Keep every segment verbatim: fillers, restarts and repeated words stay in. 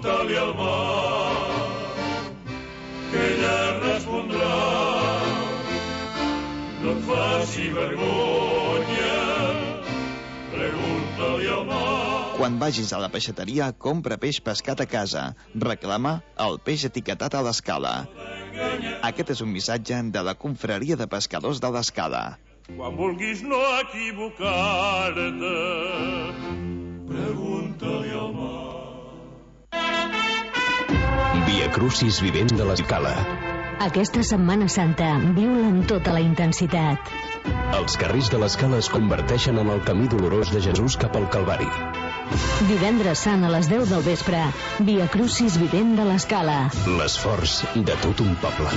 Dale al mar, que ella respondrà, no et faci vergonya, pregunta-li al mar. Quan vagis a la peixateria, compra peix pescat a casa. Reclama el peix etiquetat a l'Escala. Aquest és un missatge de la Confraria de Pescadors de l'Escala. Quan vulguis no equivocar-te, pregunta-li al mar. Via Crucis vivent de l'Escala. Aquesta Setmana Santa viu-la amb tota la intensitat. Els carrers de l'Escala es converteixen en el camí dolorós de Jesús cap al Calvari. Divendres Sant a les deu del vespre, Via Crucis vivent de l'Escala. L'esforç de tot un poble.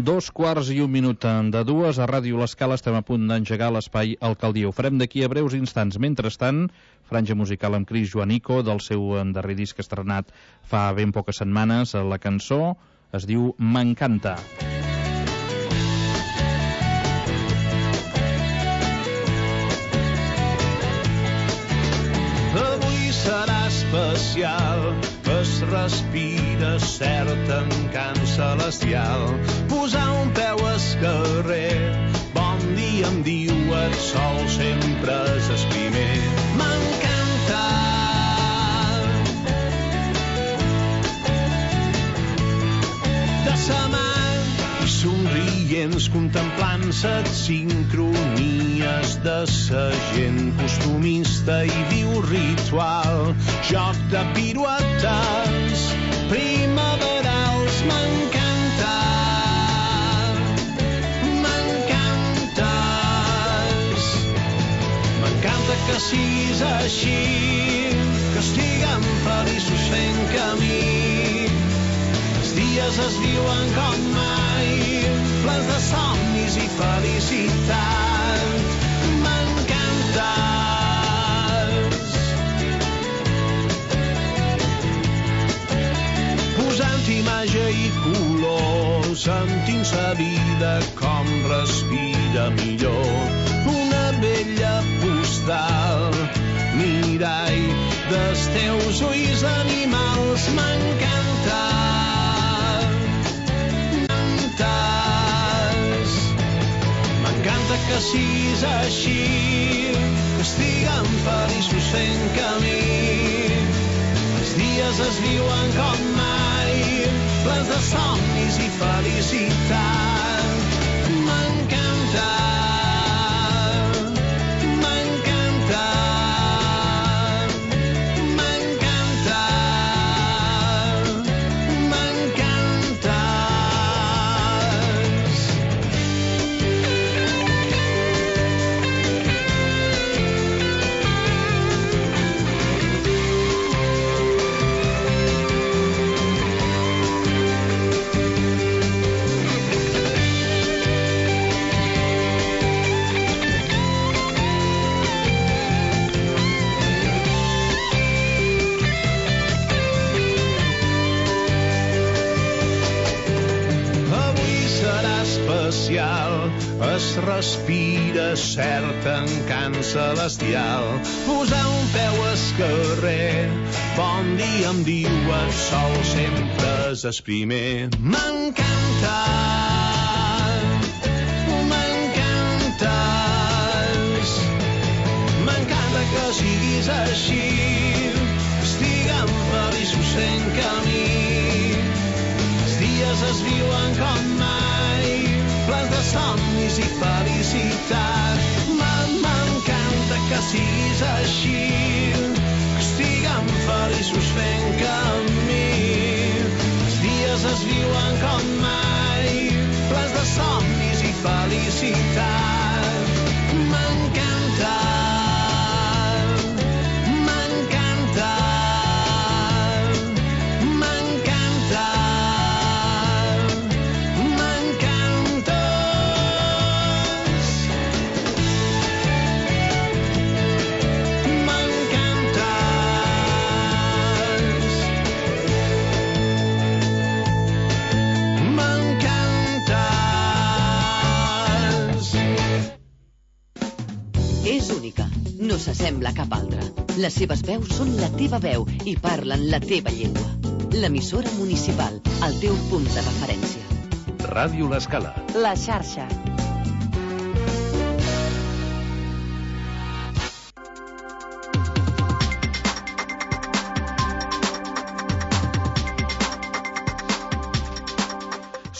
Dos quarts i un minut de dues. A Ràdio l'Escala estem a punt d'engegar l'espai Alcaldia. Ho farem d'aquí a breus instants. Mentrestant, franja musical amb Cris Joanico, del seu darrer disc estrenat fa ben poques setmanes. La cançó es diu M'encanta. Avui serà especial, es respira cert encant celestial. Posar un peu al carrer, bon dia em diu el sol, sempre és el primer. M'encanta. De sa mà i somrients contemplant set sincronies de sa gent costumista i viu ritual, joc de piruetes primaverals. M'encanta, m'encantes, m'encanta que siguis així, que estiguem feliços fent camí. Els dies es viuen com mai, plens de somnis i felicitat. M'encantes. Posant-hi màgia i color, sentint sa vida com respira millor. Una bella postal, mirall dels teus ulls animals. M'encanta. M'encanta que siguis així, que estiguem feliços fent camí. Els dies es viuen com mai, plens de somnis i felicitat. M'encanta, m'encanta, m'encanta, m'encantes. Es respira cert encant celestial. Posar un peu al carrer, bon dia em diu el sol, sempre és el primer. M'encanta, m'encantes, m'encanta que siguis així, que estiguem feliços fent camí. Els dies es viuen com mai, plens de somnis i felicitat. M'encanta que siguis així, que estiguem feliços fent camí. Els dies es viuen com mai, plens de somnis i felicitat. M'encanta, m'encanta, m'encanta. M'encantes. No s'assembla a cap altra. Les seves veus són la teva veu i parlen la teva llengua. L'emissora municipal, el teu punt de referència. Ràdio L'Escala. La xarxa.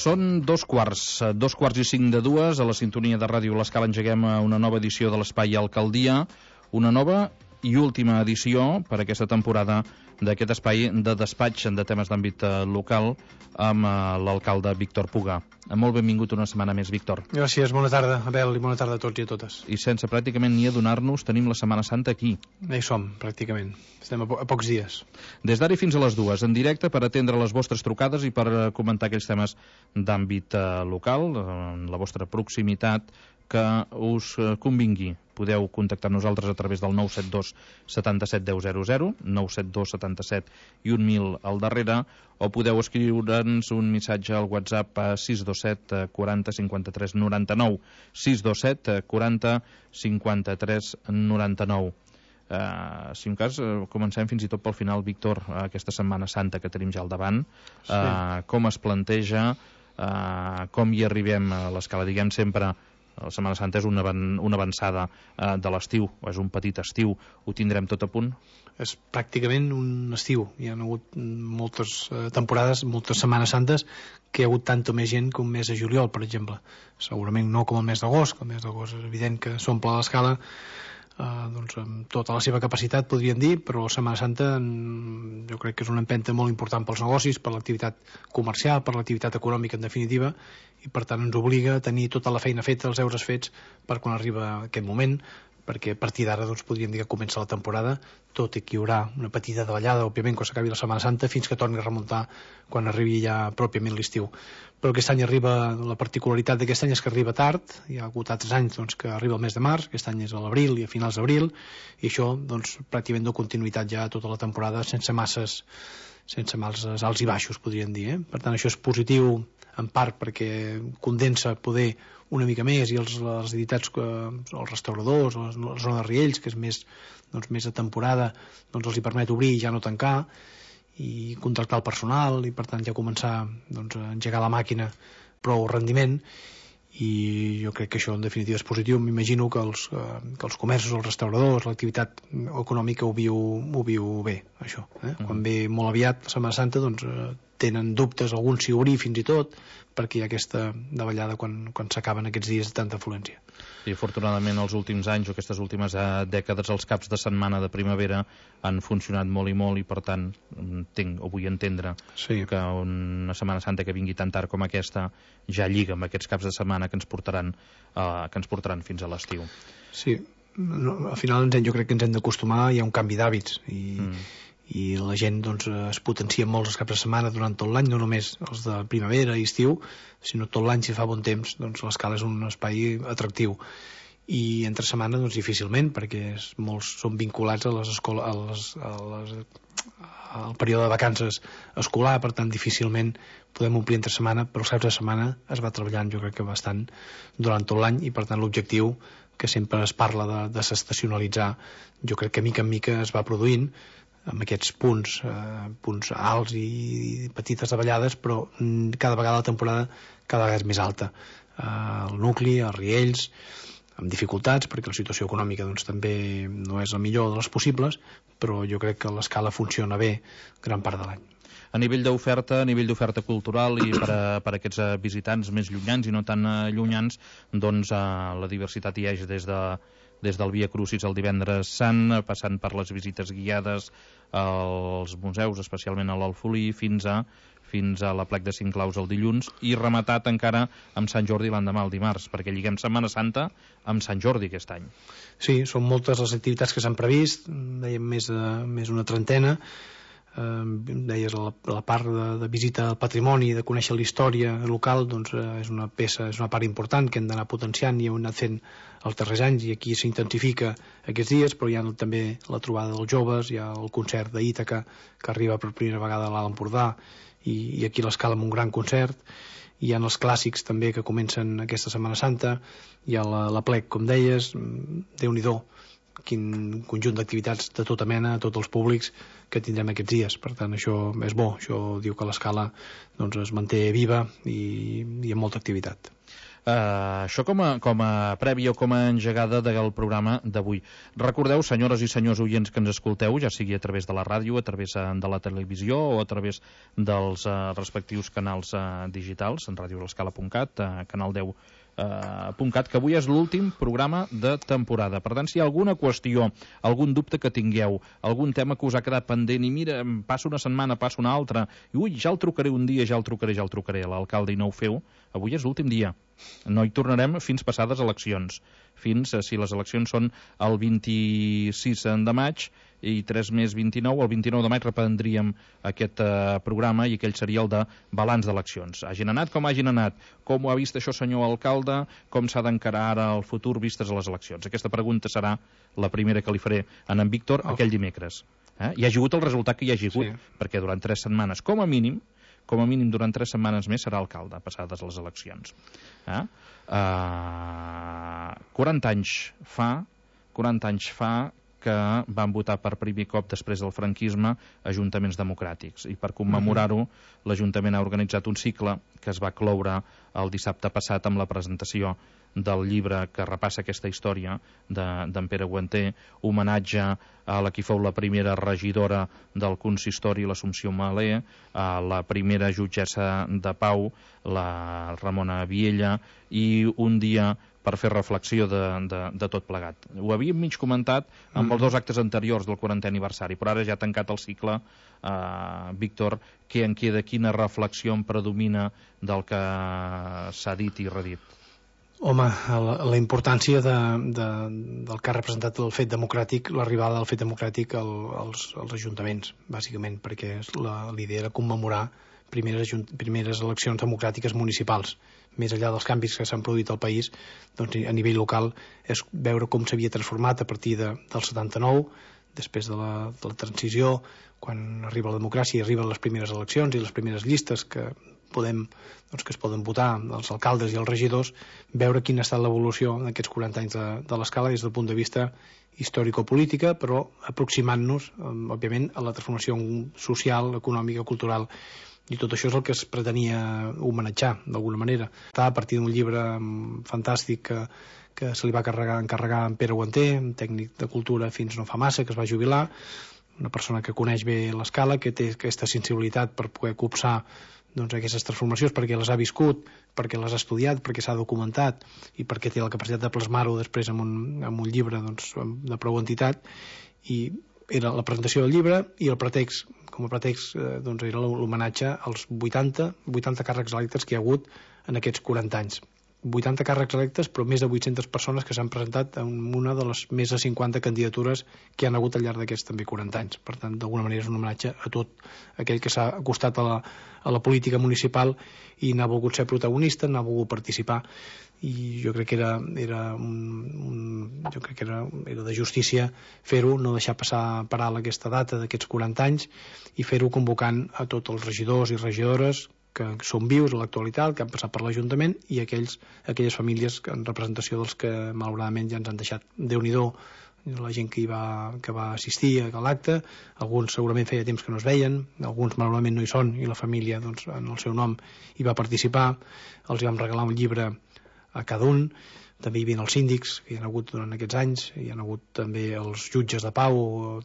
Són dos quarts, dos quarts i cinc de dues, a la sintonia de Ràdio L'Escala engeguem una nova edició de l'Espai Alcaldia, una nova i última edició per aquesta temporada d'aquest espai de despatx de temes d'àmbit local amb l'alcalde Víctor Puga. Molt benvingut una setmana més, Víctor. Gràcies, bona tarda, Abel, i bona tarda a tots i a totes. I sense pràcticament ni adonar-nos, tenim la Setmana Santa aquí. Ja hi som, pràcticament. Estem a, po a pocs dies. Des d'ara fins a les dues, en directe, per atendre les vostres trucades i per comentar aquells temes d'àmbit eh, local, en la vostra proximitat, que us convingui. Podeu contactar amb nosaltres a través del nou set dos setanta-set deu zero zero, nou set dos setanta-set i un mil al darrere, o podeu escriure'ns un missatge al WhatsApp a sis dos set quaranta cinquanta-tres noranta-nou, sis dos set quaranta cinquanta-tres noranta-nou. Uh, si en cas, uh, comencem fins i tot pel final, Víctor, uh, aquesta Setmana Santa que tenim ja al davant, uh, sí. Com es planteja, uh, com hi arribem a l'Escala, diguem sempre. La Setmana Santa és una, una avançada eh, de l'estiu, o és un petit estiu. Ho tindrem tot a punt? És pràcticament un estiu. Hi ha hagut moltes eh, temporades, moltes Setmanes Santes, que hi ha hagut tanta més gent com mes de juliol, per exemple. Segurament no com el mes d'agost, que el mes d'agost és evident que s'omple l'Escala eh, doncs, amb tota la seva capacitat, podríem dir, però la Setmana Santa jo crec que és una empenta molt important pels negocis, per l'activitat comercial, per l'activitat econòmica, en definitiva, i per tant ens obliga a tenir tota la feina feta, els deures fets, per quan arriba aquest moment, perquè a partir d'ara doncs, podríem dir que comença la temporada, tot i que hi haurà una petita davallada, òbviament, quan s'acabi la Setmana Santa, fins que torni a remuntar quan arribi ja pròpiament l'estiu. Però aquest any arriba, la particularitat d'aquest any és que arriba tard, hi ha hagut altres anys doncs, que arriba el mes de març, aquest any és a l'abril i a finals d'abril, i això doncs, pràcticament dona continuïtat ja a tota la temporada sense masses, sense masses alts i baixos, podríem dir. Eh? Per tant, això és positiu en part perquè condensa poder una mica més i els, les entitats, els restauradors, la zona de Riells, que és més, doncs, més de temporada, doncs els hi permet obrir i ja no tancar i contractar el personal i per tant ja començar doncs, a engegar la màquina prou rendiment, i jo crec que això en definitiva és positiu. M'imagino que els, que els comerços, els restauradors, l'activitat econòmica ho viu, ho viu bé, això. Eh? Mm. Quan ve molt aviat la Setmana Santa doncs tenen dubtes, alguns si obrir fins i tot, perquè hi ha aquesta davallada quan, quan s'acaben aquests dies de tanta afluència. I afortunadament els últims anys o aquestes últimes eh, dècades els caps de setmana de primavera han funcionat molt i molt i per tant entenc, o vull entendre sí. que una Setmana Santa que vingui tan tard com aquesta ja lliga amb aquests caps de setmana que ens portaran, eh, que ens portaran fins a l'estiu. Sí, no, al final jo crec que ens hem d'acostumar, hi ha un canvi d'hàbits i, mm. i la gent doncs, es potencia molt els caps de setmana durant tot l'any, no només els de primavera i estiu, sinó tot l'any, si fa bon temps, doncs l'Escala és un espai atractiu. I entre setmana doncs, difícilment, perquè és, molts són vinculats a les escoles, a les, a les, al període de vacances escolar, per tant difícilment podem omplir entre setmana, però els caps de setmana es va treballant jo crec que bastant durant tot l'any i per tant l'objectiu que sempre es parla de, de s'estacionalitzar, jo crec que mica en mica es va produint amb aquests punts, eh, punts alts i, i petites davallades, però mm, cada vegada la temporada cada vegada és més alta. Eh, el nucli, els Riells, amb dificultats, perquè la situació econòmica doncs, també no és la millor de les possibles, però jo crec que l'Escala funciona bé gran part de l'any. A nivell d'oferta, a nivell d'oferta cultural i per a, per a aquests visitants més llunyans i no tan llunyans, doncs eh, la diversitat hi és des de des del Via Crucis el divendres sant, passant per les visites guiades als museus, especialment a l'Alfolí, fins a fins a la Plec de Cinc Claus el dilluns, i rematat encara amb Sant Jordi l'endemà el dimarts, perquè lliguem Setmana Santa amb Sant Jordi aquest any. Sí, són moltes les activitats que s'han previst, dèiem més, de, més una trentena, eh, deies la, la part de, de visita al patrimoni, de conèixer la història local, doncs eh, és una peça, és una part important que hem d'anar potenciant i hem anat fent els darrers anys, i aquí s'intensifica aquests dies, però hi ha també la trobada dels joves, hi ha el concert d'Ítaca que arriba per primera vegada a l'Alt Empordà, i, i aquí l'Escala amb un gran concert, hi ha els clàssics també que comencen aquesta Setmana Santa, hi ha la, la Plec, com deies, Déu-n'hi-do, quin conjunt d'activitats de tota mena, a tots els públics que tindrem aquests dies. Per tant, això és bo. Això diu que l'Escala doncs, es manté viva i, i amb molta activitat. Uh, això com a, com a prèvia o com a engegada del programa d'avui. Recordeu, senyores i senyors oients que ens escolteu, ja sigui a través de la ràdio, a través de la televisió o a través dels uh, respectius canals uh, digitals, en ràdio l'escala punt cat, uh, canal deu punt cat, que avui és l'últim programa de temporada. Per tant, si hi ha alguna qüestió, algun dubte que tingueu, algun tema que us ha quedat pendent i mira, passa una setmana, passa una altra, i ui, ja el trucaré un dia, ja el trucaré, ja el trucaré a l'alcalde i no ho feu, avui és l'últim dia. No hi tornarem fins passades eleccions. Fins, si les eleccions són el vint-i-sis de maig i tres més vint-i-nou, el vint-i-nou de maig reprendríem aquest eh, programa i aquell seria el de balanç d'eleccions. Hagin anat com hagin anat, com ho ha vist això senyor alcalde, com s'ha d'encarar ara el futur vistes a les eleccions. Aquesta pregunta serà la primera que li faré a en Víctor oh. aquell dimecres. Eh? Hi ha hagut el resultat que hi ha hagut, sí. perquè durant tres setmanes, com a mínim, com a mínim durant tres setmanes més serà alcalde, passades les eleccions. Eh? Uh, quaranta anys fa, quaranta anys fa que van votar per primer cop després del franquisme ajuntaments democràtics. I per commemorar-ho, l'Ajuntament ha organitzat un cicle que es va cloure el dissabte passat amb la presentació del llibre que repassa aquesta història d'en de, Pere Guanter, homenatge a la qui fou la primera regidora del consistori, l'Assumpció Malé, a la primera jutgessa de pau, la Ramona Viella, i un dia per fer reflexió de, de, de tot plegat. Ho havíem mig comentat amb mm. els dos actes anteriors del quarantè aniversari, però ara ja ha tancat el cicle. Uh, Víctor, què en queda? Quina reflexió en predomina del que s'ha dit i redit? Home, la, la importància de, de, del que ha representat el fet democràtic, l'arribada del fet democràtic al, als, als ajuntaments, bàsicament, perquè l'idea era commemorar primeres, primeres eleccions democràtiques municipals. Més enllà dels canvis que s'han produït al país, doncs a nivell local és veure com s'havia transformat a partir de, del setanta-nou, després de la, de la transició, quan arriba la democràcia i arriben les primeres eleccions i les primeres llistes que podem, doncs, que es poden votar els alcaldes i els regidors, veure quina ha estat l'evolució en aquests quaranta anys de, de l'escala des del punt de vista històrico-política, però aproximant-nos, òbviament, a la transformació social, econòmica, cultural. I tot això és el que es pretenia homenatjar, d'alguna manera. Està a partir d'un llibre fantàstic que, que se li va carregar, encarregar a en Pere Guanter, un tècnic de cultura fins no fa massa, que es va jubilar, una persona que coneix bé l'escala, que té aquesta sensibilitat per poder copsar doncs, aquestes transformacions, perquè les ha viscut, perquè les ha estudiat, perquè s'ha documentat i perquè té la capacitat de plasmar-ho després en un, en un llibre doncs, de prou entitat. I era la presentació del llibre i el pretext, com a pretext eh, doncs era l'homenatge als vuitanta, vuitanta càrrecs electes que hi ha hagut en aquests quaranta anys. vuitanta càrrecs electes, però més de vuit-centes persones que s'han presentat en una de les més de cinquanta candidatures que han hagut al llarg d'aquests també quaranta anys. Per tant, d'alguna manera és un homenatge a tot aquell que s'ha acostat a la, a la política municipal i n'ha volgut ser protagonista, n'ha volgut participar. I jo crec que era, era, un, un, jo crec que era, era de justícia fer-ho, no deixar passar per alt aquesta data d'aquests quaranta anys i fer-ho convocant a tots els regidors i regidores que són vius a l'actualitat, que han passat per l'Ajuntament i aquells, aquelles famílies en representació dels que malauradament ja ens han deixat. Déu-n'hi-do la gent que, hi va, que va assistir a l'acte, alguns segurament feia temps que no es veien, alguns malauradament no hi són i la família doncs, en el seu nom hi va participar, els vam regalar un llibre a cada un, també hi havia els síndics que hi ha hagut durant aquests anys, hi ha hagut també els jutges de pau,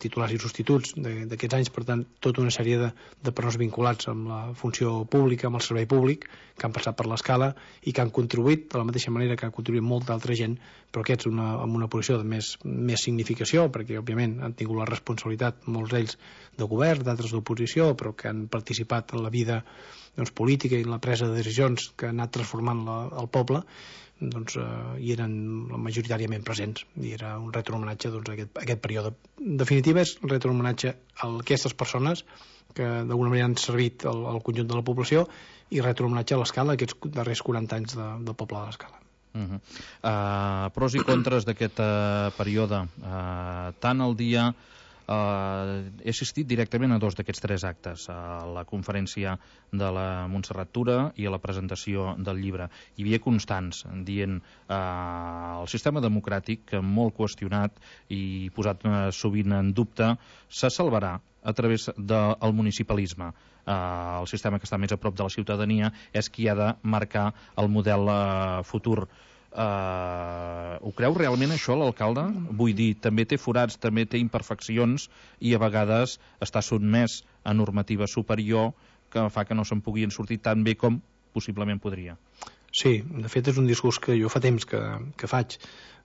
titulars i substituts d'aquests anys, per tant, tota una sèrie de, de persones vinculats amb la funció pública, amb el servei públic, que han passat per l'escala i que han contribuït de la mateixa manera que ha contribuït molta altra gent, però aquests una, amb una posició de més, més significació, perquè òbviament han tingut la responsabilitat, molts d'ells de govern, d'altres d'oposició, però que han participat en la vida doncs, política i en la presa de decisions que ha anat transformant la, el poble, doncs, eh, hi eren majoritàriament presents i era un retrohomenatge doncs, a aquest, a aquest període. En definitiva és un retrohomenatge a aquestes persones que d'alguna manera han servit al, al conjunt de la població i retrohomenatge a l'escala aquests darrers quaranta anys de, del poble de l'escala. Uh -huh. uh, pros i contres d'aquest uh, període, uh, tant el dia Uh, he assistit directament a dos d'aquests tres actes, a la conferència de la Montserrat Tura i a la presentació del llibre. Hi havia constants dient uh, el sistema democràtic, molt qüestionat i posat uh, sovint en dubte, se salvarà a través del municipalisme. Uh, el sistema que està més a prop de la ciutadania és qui ha de marcar el model uh, futur. Uh, ho creu realment això l'alcalde? Vull dir, també té forats, també té imperfeccions i a vegades està sotmès a normativa superior que fa que no se'n puguin sortir tan bé com possiblement podria. Sí, de fet és un discurs que jo fa temps que, que faig.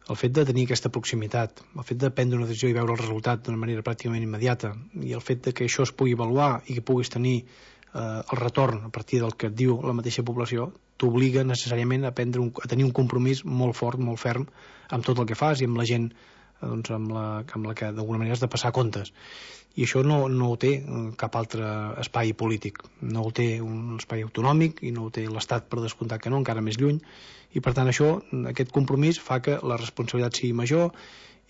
El fet de tenir aquesta proximitat, el fet de prendre una decisió i veure el resultat d'una manera pràcticament immediata, i el fet de que això es pugui avaluar i que puguis tenir eh, el retorn a partir del que et diu la mateixa població, t'obliga necessàriament a, prendre un, a tenir un compromís molt fort, molt ferm amb tot el que fas i amb la gent doncs, amb, la, amb la que d'alguna manera has de passar comptes. I això no, no ho té cap altre espai polític. No ho té un espai autonòmic i no ho té l'Estat, per descomptat que no, encara més lluny. I per tant això, aquest compromís fa que la responsabilitat sigui major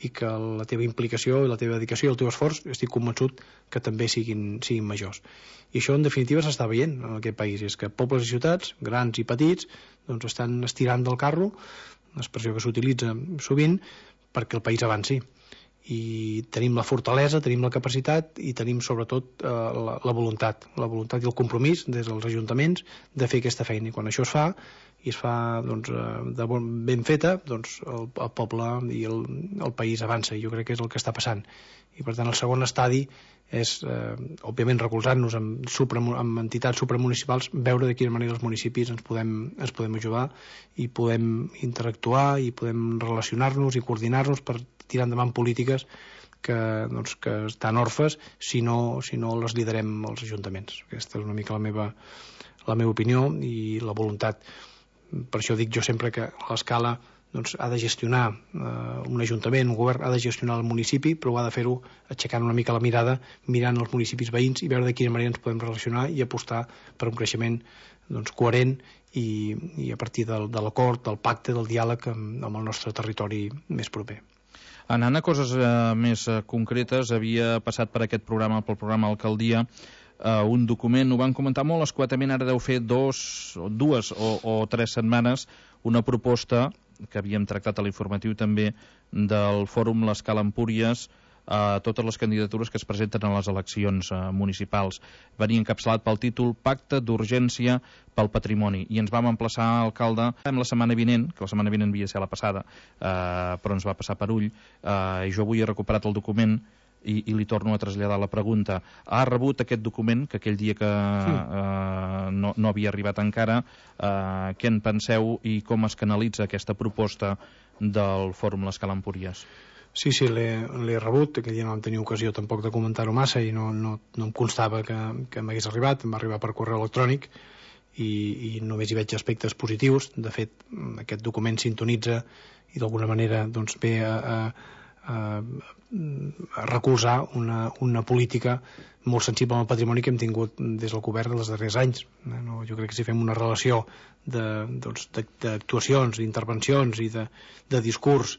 i que la teva implicació i la teva dedicació i el teu esforç, estic convençut que també siguin, siguin majors. I això en definitiva s'està veient en aquest país, és que pobles i ciutats, grans i petits, doncs estan estirant del carro, una expressió que s'utilitza sovint, perquè el país avanci. I tenim la fortalesa, tenim la capacitat i tenim sobretot eh, la, la voluntat, la voluntat i el compromís des dels ajuntaments de fer aquesta feina. I quan això es fa, i es fa doncs, de bon, ben feta, doncs el, el poble i el, el país avança, i jo crec que és el que està passant. I per tant el segon estadi és, eh, òbviament, recolzant-nos amb, supra, amb entitats supramunicipals, veure de quina manera els municipis ens podem, ens podem ajudar i podem interactuar i podem relacionar-nos i coordinar-nos per tirar endavant polítiques que, doncs, que estan orfes si no, si no les liderem els ajuntaments. Aquesta és una mica la meva, la meva opinió i la voluntat. Per això dic jo sempre que l'escala doncs, ha de gestionar eh, un ajuntament, un govern ha de gestionar el municipi, però ha de fer-ho aixecant una mica la mirada, mirant els municipis veïns i veure de quina manera ens podem relacionar i apostar per un creixement doncs, coherent i, i a partir del, de l'acord, del pacte, del diàleg amb, amb el nostre territori més proper. Anant a coses eh, més eh, concretes, havia passat per aquest programa, pel programa Alcaldia, eh, un document, ho van comentar molt escuetament, ara deu fer dos, dues o, o tres setmanes, una proposta que havíem tractat a l'informatiu també del Fòrum l'Escala Empúries, a totes les candidatures que es presenten a les eleccions eh, municipals. Venia encapçalat pel títol Pacte d'Urgència pel Patrimoni, i ens vam emplaçar, alcalde, en la setmana vinent, que la setmana vinent havia de ser la passada, eh, però ens va passar per ull, eh, i jo avui he recuperat el document i, i li torno a traslladar la pregunta. Ha rebut aquest document, que aquell dia que eh, no, no havia arribat encara, eh, què en penseu i com es canalitza aquesta proposta del Fòrum l'Escala Empúries? Sí, sí, l'he rebut, aquell dia no vam tenir ocasió tampoc de comentar-ho massa i no, no, no em constava que, que m'hagués arribat, em va arribar per correu electrònic i, i només hi veig aspectes positius. De fet, aquest document sintonitza i d'alguna manera doncs, ve a, a, a, a recolzar una, una política molt sensible al patrimoni que hem tingut des del govern dels darrers anys. No, jo crec que si fem una relació d'actuacions, doncs, d'intervencions i de, de discurs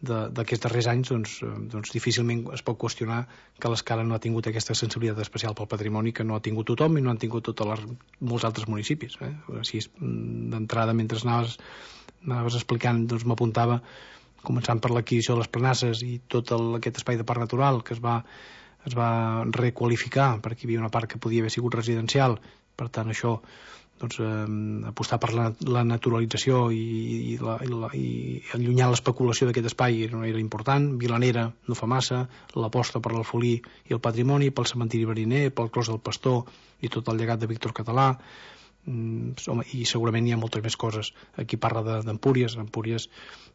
d'aquests darrers anys, doncs, doncs difícilment es pot qüestionar que l'Escala no ha tingut aquesta sensibilitat especial pel patrimoni que no ha tingut tothom i no han tingut tots les, molts altres municipis. Eh? Així, d'entrada, mentre anaves, anaves explicant, doncs m'apuntava, començant per l'adquisició de les planasses i tot el, aquest espai de parc natural que es va, es va requalificar perquè hi havia una part que podia haver sigut residencial. Per tant, això doncs, eh, apostar per la, la naturalització i, i, la, i, la, i allunyar l'especulació d'aquest espai era, era important. Vilanera no fa massa, l'aposta per l'alfolí i el patrimoni, pel cementiri mariner, pel clos del Pastor i tot el llegat de Víctor Català. Mm, home, i segurament hi ha moltes més coses. Aquí parla d'Empúries, Empúries,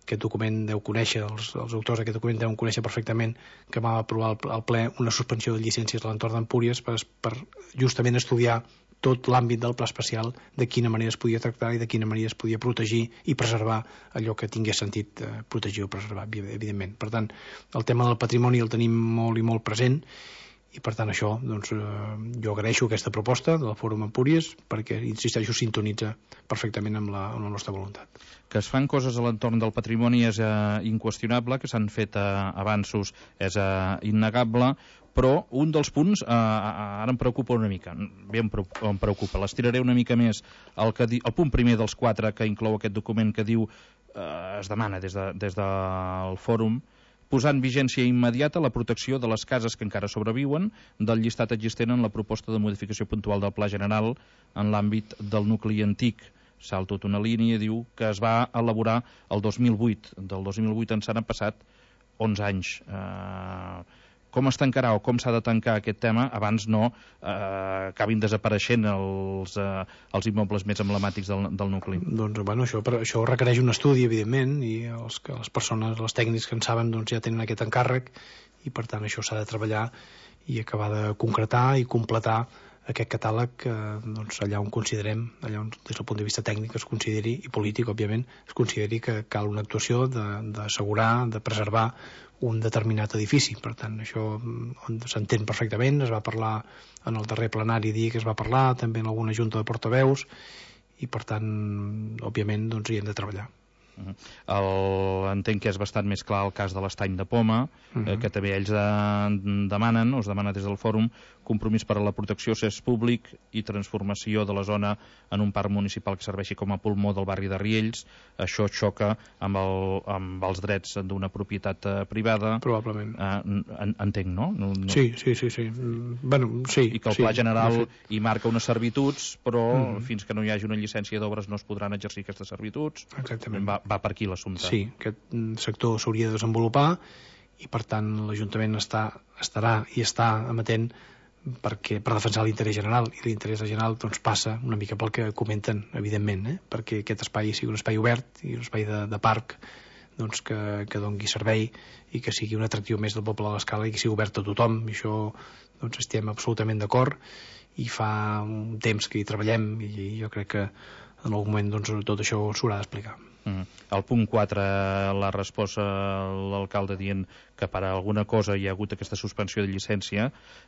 aquest document deu conèixer, els, els autors d'aquest document deuen conèixer perfectament que va aprovar al, al ple una suspensió de llicències a l'entorn d'Empúries per, per justament estudiar tot l'àmbit del pla especial, de quina manera es podia tractar i de quina manera es podia protegir i preservar allò que tingués sentit eh, protegir o preservar, evidentment. Per tant, el tema del patrimoni el tenim molt i molt present i per tant això, doncs, eh, jo agraeixo aquesta proposta del Fòrum Empúries perquè, insisteixo, sintonitza perfectament amb la, amb la nostra voluntat. Que es fan coses a l'entorn del patrimoni és eh, inqüestionable, que s'han fet eh, avanços és eh, innegable, però un dels punts eh, ara em preocupa una mica, bé em preocupa, em preocupa. l'estiraré una mica més, el, que di, el punt primer dels quatre que inclou aquest document que diu, eh, es demana des, de, des del fòrum, posar en vigència immediata la protecció de les cases que encara sobreviuen del llistat existent en la proposta de modificació puntual del Pla General en l'àmbit del nucli antic. Salto tota una línia, diu que es va elaborar el dos mil vuit. Del dos mil vuit ens han passat onze anys. Eh, com es tancarà o com s'ha de tancar aquest tema abans no eh, acabin desapareixent els, eh, els immobles més emblemàtics del, del nucli? Doncs, bueno, això, això requereix un estudi, evidentment, i els, les persones, els tècnics que en saben, doncs, ja tenen aquest encàrrec, i per tant això s'ha de treballar i acabar de concretar i completar aquest catàleg eh, doncs, allà on considerem, allà on des del punt de vista tècnic es consideri, i polític, òbviament, es consideri que cal una actuació d'assegurar, de, de preservar un determinat edifici. Per tant, això s'entén perfectament, es va parlar en el darrer plenari dia que es va parlar, també en alguna junta de portaveus, i per tant, òbviament, doncs, hi hem de treballar. Uh-huh. El, entenc que és bastant més clar el cas de l'Estany de Poma, uh-huh. eh, que també ells de, demanen, o es demana des del fòrum, compromís per a la protecció cés públic i transformació de la zona en un parc municipal que serveixi com a pulmó del barri de Riells. Això xoca amb, el, amb els drets d'una propietat eh, privada. Probablement. Eh, en, entenc, no? no, no? Sí, sí, sí, sí. Bueno, sí. I que el sí, Pla General sí. hi marca unes servituds, però uh-huh. fins que no hi hagi una llicència d'obres no es podran exercir aquestes servituds. Exactament. Va, va per aquí l'assumpte. Sí, aquest sector s'hauria de desenvolupar i per tant l'Ajuntament està, estarà i està amatent perquè, per defensar l'interès general, i l'interès general doncs, passa una mica pel que comenten, evidentment, eh? perquè aquest espai sigui un espai obert i un espai de, de parc doncs, que, que doni servei i que sigui un atractiu més del poble de l'Escala i que sigui obert a tothom. I això doncs, estem absolutament d'acord i fa un temps que hi treballem i jo crec que en algun moment doncs, tot això s'haurà d'explicar. Mm. El punt quatre, la resposta a l'alcalde dient que per a alguna cosa hi ha hagut aquesta suspensió de llicència,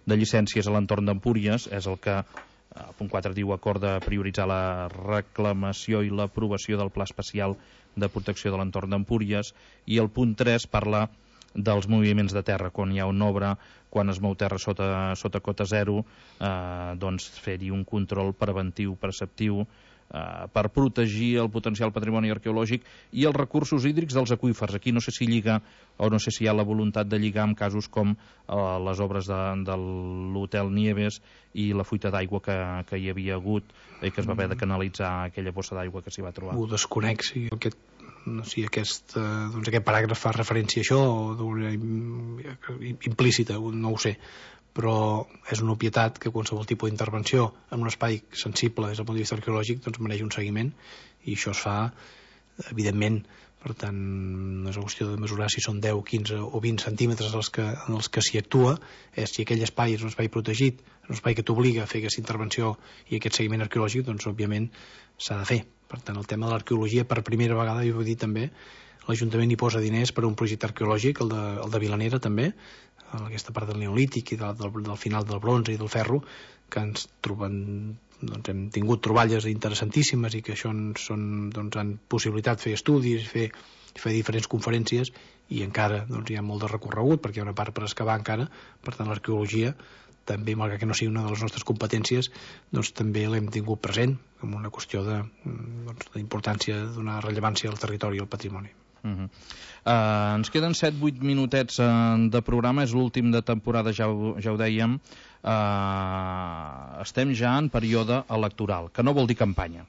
de llicències a l'entorn d'Empúries, és el que el punt quatre diu acord de prioritzar la reclamació i l'aprovació del Pla Especial de Protecció de l'entorn d'Empúries, i el punt tres parla dels moviments de terra, quan hi ha una obra, quan es mou terra sota, sota cota zero, eh, doncs fer-hi un control preventiu, preceptiu, Uh, per protegir el potencial patrimoni arqueològic i els recursos hídrics dels aqüífers. Aquí no sé si lliga o no sé si hi ha la voluntat de lligar amb casos com uh, les obres de, de l'Hotel Nieves i la fuita d'aigua que, que hi havia hagut i que es va haver de canalitzar aquella bossa d'aigua que s'hi va trobar. Ho desconec, si aquest, no, si aquest, doncs aquest paràgraf fa referència a això o d'una implícita, no ho sé, però és una obvietat que qualsevol tipus d'intervenció en un espai sensible des del punt de vista arqueològic doncs mereix un seguiment, i això es fa evidentment. Per tant, no és una qüestió de mesurar si són deu, quinze o vint centímetres els que, en els que s'hi actua, és si aquell espai és un espai protegit, un espai que t'obliga a fer aquesta intervenció i aquest seguiment arqueològic, doncs òbviament s'ha de fer. Per tant, el tema de l'arqueologia, per primera vegada, jo vull dir també, l'Ajuntament hi posa diners per a un projecte arqueològic, el de, el de Vilanera també, en aquesta part del neolític i del, del, del final del bronze i del ferro, que ens troben, doncs hem tingut troballes interessantíssimes i que això són, doncs, han possibilitat fer estudis, fer, fer diferents conferències, i encara doncs, hi ha molt de recorregut perquè hi ha una part per excavar encara. Per tant, l'arqueologia també, malgrat que no sigui una de les nostres competències, doncs també l'hem tingut present com una qüestió de, doncs, d'importància, d'una rellevància al territori i al patrimoni. Uh-huh. Uh, ens queden set vuit minutets uh, de programa, és l'últim de temporada, ja ho, ja ho dèiem. Uh, estem ja en període electoral, que no vol dir campanya.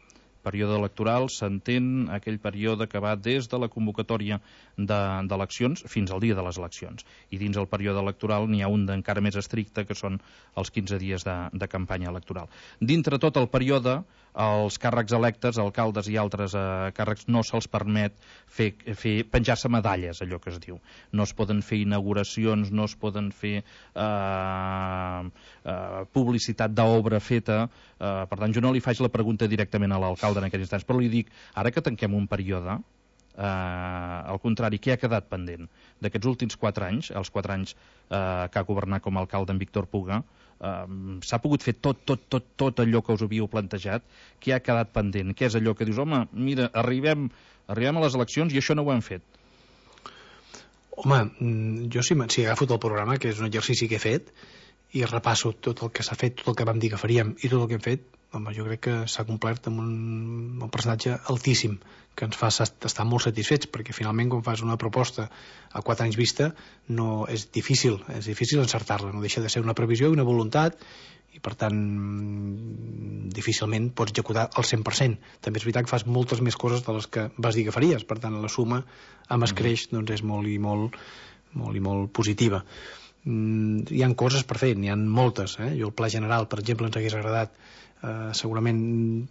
Període electoral s'entén aquell període que va des de la convocatòria d'eleccions de, fins al dia de les eleccions, i dins el període electoral n'hi ha un encara més estricte, que són els quinze dies de, de campanya electoral. Dintre tot el període, els càrrecs electes, alcaldes i altres eh, càrrecs, no se'ls permet fer, fer penjar-se medalles, allò que es diu. No es poden fer inauguracions, no es poden fer eh, eh, publicitat d'obra feta. Eh, per tant, jo no li faig la pregunta directament a l'alcalde en aquests instants, però li dic, ara que tanquem un període, eh, al contrari, què ha quedat pendent? D'aquests últims quatre anys, els quatre anys eh, que ha governat com a alcalde en Víctor Puga, Uh, s'ha pogut fer tot, tot, tot, tot allò que us havíeu plantejat, que ha quedat pendent? Què és allò que dius, home, mira, arribem, arribem a les eleccions i això no ho hem fet? Home, jo si, si agafo tot el programa, que és un exercici que he fet, i repasso tot el que s'ha fet, tot el que vam dir que faríem i tot el que hem fet, home, jo crec que s'ha complert amb un, un percentatge altíssim, que ens fa estar molt satisfets, perquè finalment quan fas una proposta a quatre anys vista no és difícil, és difícil encertar-la, no deixa de ser una previsió i una voluntat, i per tant difícilment pots executar al cent per cent. També és veritat que fas moltes més coses de les que vas dir que faries, per tant la suma amb escreix doncs és molt i molt, molt i molt positiva. Mm, hi ha coses per fer, n'hi ha moltes, eh? Jo el pla general, per exemple, ens hagués agradat eh, segurament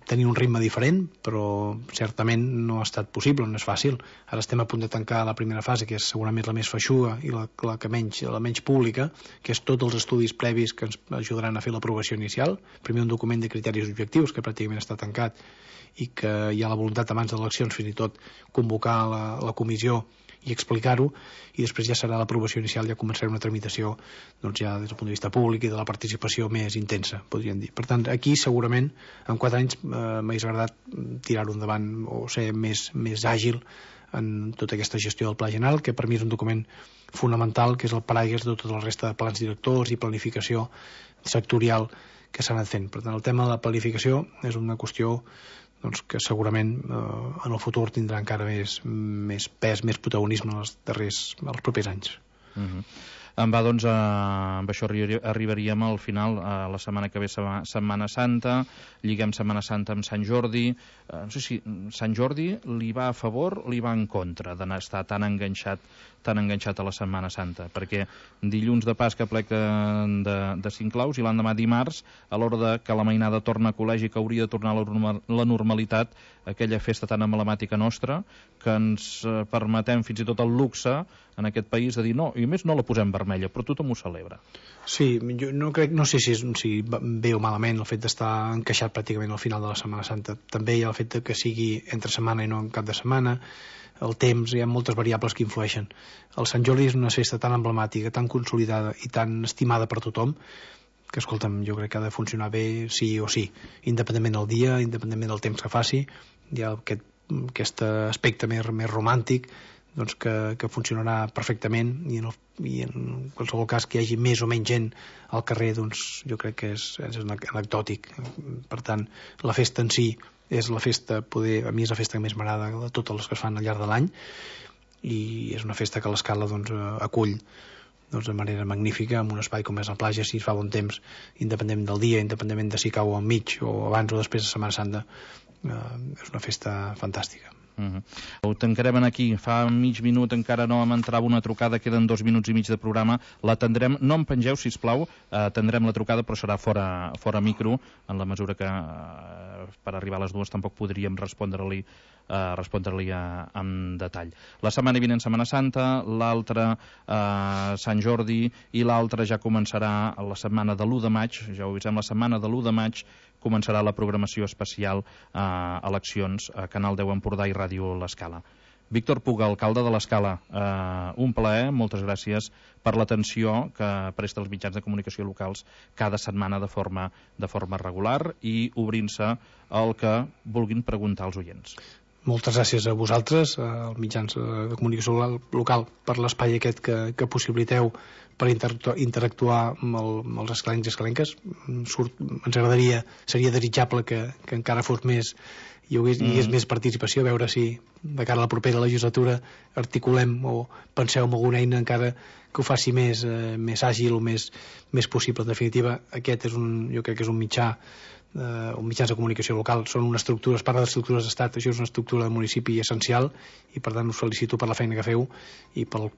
tenir un ritme diferent, però certament no ha estat possible, no és fàcil. Ara estem a punt de tancar la primera fase, que és segurament la més feixuga i la, la, que menys, la menys pública, que és tots els estudis previs que ens ajudaran a fer l'aprovació inicial. Primer un document de criteris objectius, que pràcticament està tancat, i que hi ha la voluntat abans de eleccions fins i tot convocar la, la comissió i explicar-ho, i després ja serà l'aprovació inicial, ja començarà una tramitació doncs ja des del punt de vista públic i de la participació més intensa, podríem dir. Per tant, aquí segurament en quatre anys eh, m'hagués agradat tirar-ho endavant o ser més, més àgil en tota aquesta gestió del pla general, que per mi és un document fonamental, que és el paraigua de tota la resta de plans directors i planificació sectorial que s'han anat fent. Per tant, el tema de la planificació és una qüestió doncs, que segurament eh, en el futur tindrà encara més, més pes, més protagonisme en els darrers, els propers anys. Uh-huh. Em va, doncs, eh, amb això arribaríem al final, a la setmana que ve, Setmana Santa, lliguem Setmana Santa amb Sant Jordi. Eh, no sé si Sant Jordi li va a favor o li va en contra d'estar tan enganxat tan enganxat a la Setmana Santa, perquè dilluns de Pasca plec de, de, de Cinclaus i l'endemà dimarts, a l'hora de que la mainada torna a col·legi, que hauria de tornar a la, normal, la normalitat, aquella festa tan emblemàtica nostra, que ens eh, permetem fins i tot el luxe en aquest país de dir no, i a més no la posem vermella, però tothom ho celebra. Sí, jo no, crec, no sé si és si bé o malament el fet d'estar encaixat pràcticament al final de la Setmana Santa. També hi ha el fet que sigui entre setmana i no en cap de setmana, el temps, hi ha moltes variables que influeixen. El Sant Jordi és una festa tan emblemàtica, tan consolidada i tan estimada per tothom, que, escolta'm, jo crec que ha de funcionar bé sí o sí, independentment del dia, independentment del temps que faci. Hi ha aquest, aquest aspecte més, més romàntic, doncs que, que funcionarà perfectament, i en, el, i en qualsevol cas que hi hagi més o menys gent al carrer, doncs jo crec que és, és anecdòtic. Per tant, la festa en si és la festa, poder, a mi és la festa que més m'agrada de totes les que es fan al llarg de l'any, i és una festa que l'Escala doncs, acull doncs, de manera magnífica, amb un espai com és la platja, si es fa bon temps, independentment del dia, independentment de si cau al mig o abans o després de Setmana Santa, eh, és una festa fantàstica. Uh-huh. Ho tancarem aquí. Fa mig minut encara no em entrava una trucada, queden dos minuts i mig de programa, l'atendrem, no em pengeu sisplau, atendrem la trucada però serà fora, fora micro, en la mesura que eh, per arribar a les dues tampoc podríem respondre-li eh, respondre-li en detall. La setmana vinent Setmana Santa, l'altra eh, Sant Jordi, i l'altra ja començarà la setmana de l'u de maig, ja ho avisem, la setmana de l'u de maig començarà la programació especial a eh, eleccions a Canal deu Empordà i Ràdio L'Escala. Víctor Puga, alcalde de l'Escala, eh, un plaer, moltes gràcies per l'atenció que presta els mitjans de comunicació locals cada setmana de forma, de forma regular i obrint-se el que vulguin preguntar als oients. Moltes gràcies a vosaltres, als mitjans de comunicació local, per l'espai aquest que, que possibiliteu per interactuar amb, el, amb els escalencs i escalenques. Surt, ens agradaria, seria desitjable que, que encara fos més, hi hagués, hi hagués mm. més participació, a veure si de cara a la propera legislatura articulem o penseu en alguna eina encara que ho faci més, eh, més àgil o més, més possible. En definitiva, aquest és un, jo crec que és un mitjà Uh, un mitjans de comunicació local, són una estructura, es parla d'estructures d'estat, això és una estructura de municipi essencial, i per tant us felicito per la feina que feu i per, el,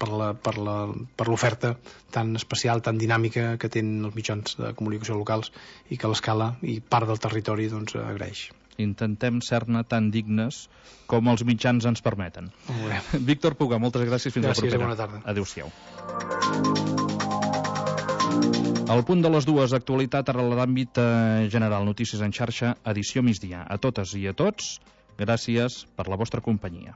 per, la, per, la, per l'oferta tan especial, tan dinàmica que tenen els mitjans de comunicació locals i que l'Escala i part del territori doncs agraeix. Intentem ser-ne tan dignes com els mitjans ens permeten. Víctor Puga, moltes gràcies, fins gràcies, la propera. Bona tarda. Adéu-siau. Al punt de les dues, actualitat a l'àmbit general, notícies en xarxa, edició migdia. A totes i a tots, gràcies per la vostra companyia.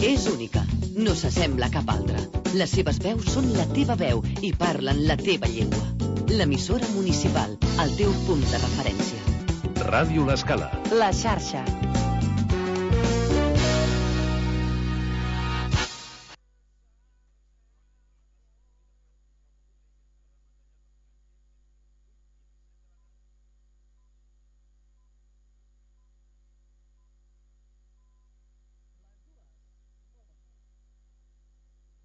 És única, no s'assembla a cap altra. Les seves veus són la teva veu i parlen la teva llengua. L'emissora municipal, el teu punt de referència. Ràdio L'Escala. La xarxa.